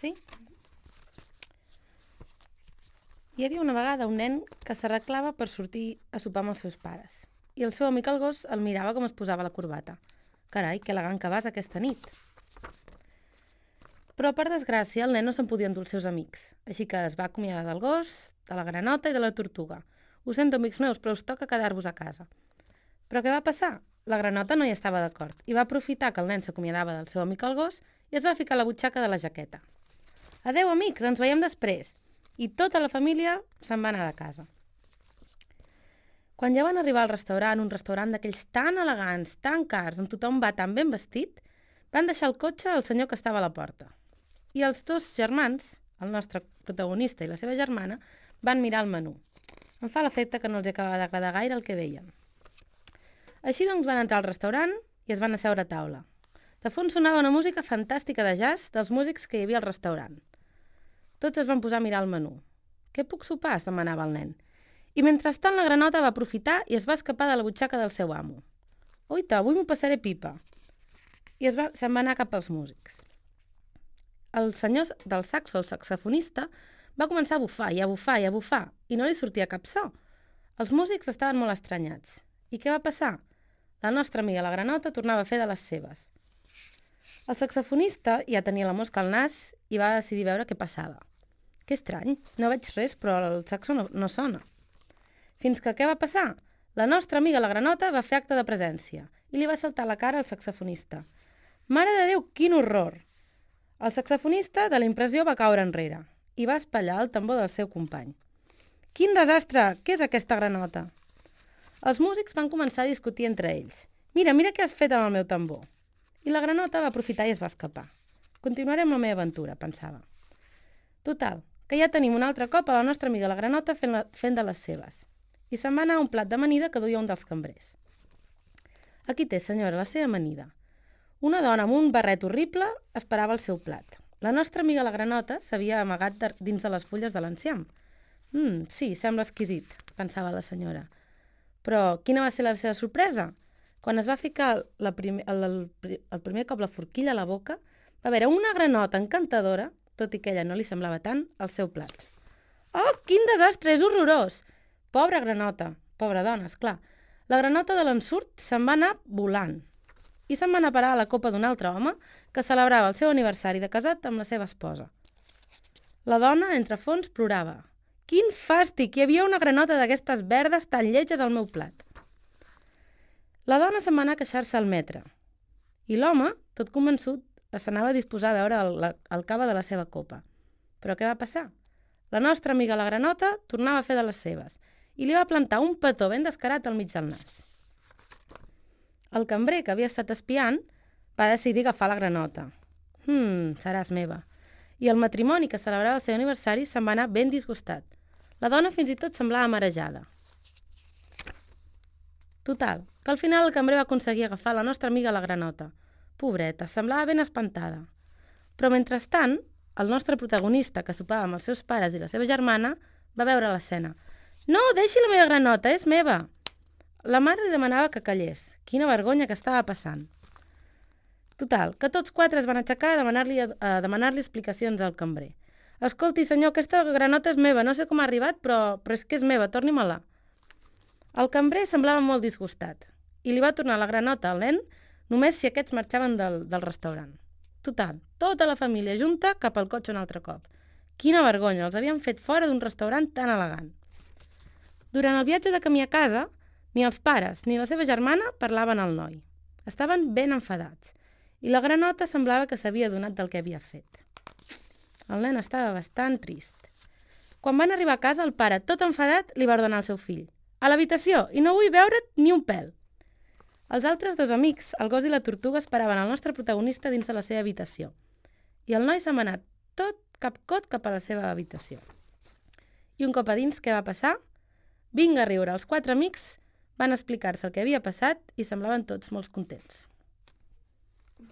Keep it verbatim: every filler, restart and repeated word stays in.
Sí? Hi havia una vegada un nen que s'arreglava per sortir a sopar amb els seus pares. I el seu amic el gos el mirava com es posava la corbata. Carai, que elegant que vas aquesta nit. Però, per desgràcia, el nen no se'n podia endur els seus amics. Així que es va acomiadar del gos, de la granota i de la tortuga. Ho sento, amics meus, però us toca quedar-vos a casa. Però què va passar? La granota no hi estava d'acord i va aprofitar que el nen s'acomiadava del seu amic el gos i es va ficar a la butxaca de la jaqueta. Adeu, amics, ens veiem després. I tota la família se'n va anar de casa. Quan ja van arribar al restaurant, un restaurant d'aquells tan elegants, tan cars, on tothom va tan ben vestit, van deixar el cotxe al senyor que estava a la porta. I els dos germans, el nostre protagonista i la seva germana, van mirar el menú. Em fa l'efecte que no els acaba d'agradar gaire el que veien. Així doncs van entrar al restaurant i es van asseure a taula. De fons sonava una música fantàstica de jazz dels músics que hi havia al restaurant. Tots es van posar a mirar el menú. «Què puc sopar?», es demanava el nen. I mentrestant la granota va aprofitar i es va escapar de la butxaca del seu amo. «Oita, avui m'ho passaré pipa!» I es va, se'n va anar cap als músics. El senyor del saxo, el saxofonista, va començar a bufar i a bufar i a bufar i no li sortia cap so. Els músics estaven molt estranyats. I què va passar? La nostra amiga la granota tornava a fer de les seves. El saxofonista ja tenia la mosca al nas i va decidir veure què passava. Que estrany, no veig res, però el saxo no, no sona. Fins que què va passar? La nostra amiga la granota va fer acte de presència i li va saltar a la cara al saxofonista. Mare de Déu, quin horror! El saxofonista, de la impressió, va caure enrere i va espatllar el tambor del seu company. Quin desastre! Què és aquesta granota? Els músics van començar a discutir entre ells. Mira, mira què has fet amb el meu tambor. I la granota va aprofitar i es va escapar. Continuaré amb la meva aventura, pensava. Total, que ja tenim un altre cop a la nostra amiga la granota fent, la, fent de les seves. I se'n va anar a un plat d'amanida que duia un dels cambrers. Aquí té, senyora, la seva amanida. Una dona amb un barret horrible esperava el seu plat. La nostra amiga la granota s'havia amagat de, dins de les fulles de l'enciam. Mm, sí, sembla exquisit, pensava la senyora. Però quina va ser la seva sorpresa? Quan es va ficar la prim el, el, el primer cop la forquilla a la boca, va veure una granota encantadora, tot i que ella no li semblava tant, al seu plat. Oh, quin desastre, és horrorós! Pobra granota, pobra dona, esclar. La granota de l'ensurt se'n va anar volant i se'n va anar a parar a la copa d'un altre home que celebrava el seu aniversari de casat amb la seva esposa. La dona, entre fons, plorava. Quin fàstic! Hi havia una granota d'aquestes verdes tan lletges al meu plat. La dona se'n va anar a queixar-se al metre i l'home, tot convençut, s'anava a disposar a veure el, la, el cava de la seva copa. Però què va passar? La nostra amiga la granota tornava a fer de les seves i li va plantar un petó ben descarat al mig del nas. El cambrer, que havia estat espiant, va decidir agafar la granota. Hmm, seràs meva. I el matrimoni que celebrava el seu aniversari se'n va anar ben disgustat. La dona fins i tot semblava marejada. Total, que al final el cambrer va aconseguir agafar la nostra amiga la granota. Pobreta, semblava ben espantada. Però mentrestant, el nostre protagonista, que sopava amb els seus pares i la seva germana, va veure l'escena. No, deixi la meva granota, és meva! La mare li demanava que callés. Quina vergonya que estava passant. Total, que tots quatre es van aixecar a demanar-li a demanar-li explicacions al cambrer. Escolti, senyor, aquesta granota és meva, no sé com ha arribat, però, però és que és meva, torni-me-la. El cambrer semblava molt disgustat i li va tornar la granota al nen només si aquests marxaven del, del restaurant. Total, tota la família junta cap al cotxe un altre cop. Quina vergonya, els havien fet fora d'un restaurant tan elegant. Durant el viatge de camí a casa, ni els pares ni la seva germana parlaven al noi. Estaven ben enfadats i la granota semblava que s'havia adonat del que havia fet. El nen estava bastant trist. Quan van arribar a casa, el pare, tot enfadat, li va ordenar al seu fill. A l'habitació, i no vull veure't ni un pèl. Els altres dos amics, el gos i la tortuga, esperaven el nostre protagonista dins de la seva habitació. I el noi se'n va anar tot capcot cap a la seva habitació. I un cop a dins, què va passar? Vinga a riure, els quatre amics van explicar-se el que havia passat i semblaven tots molt contents. Un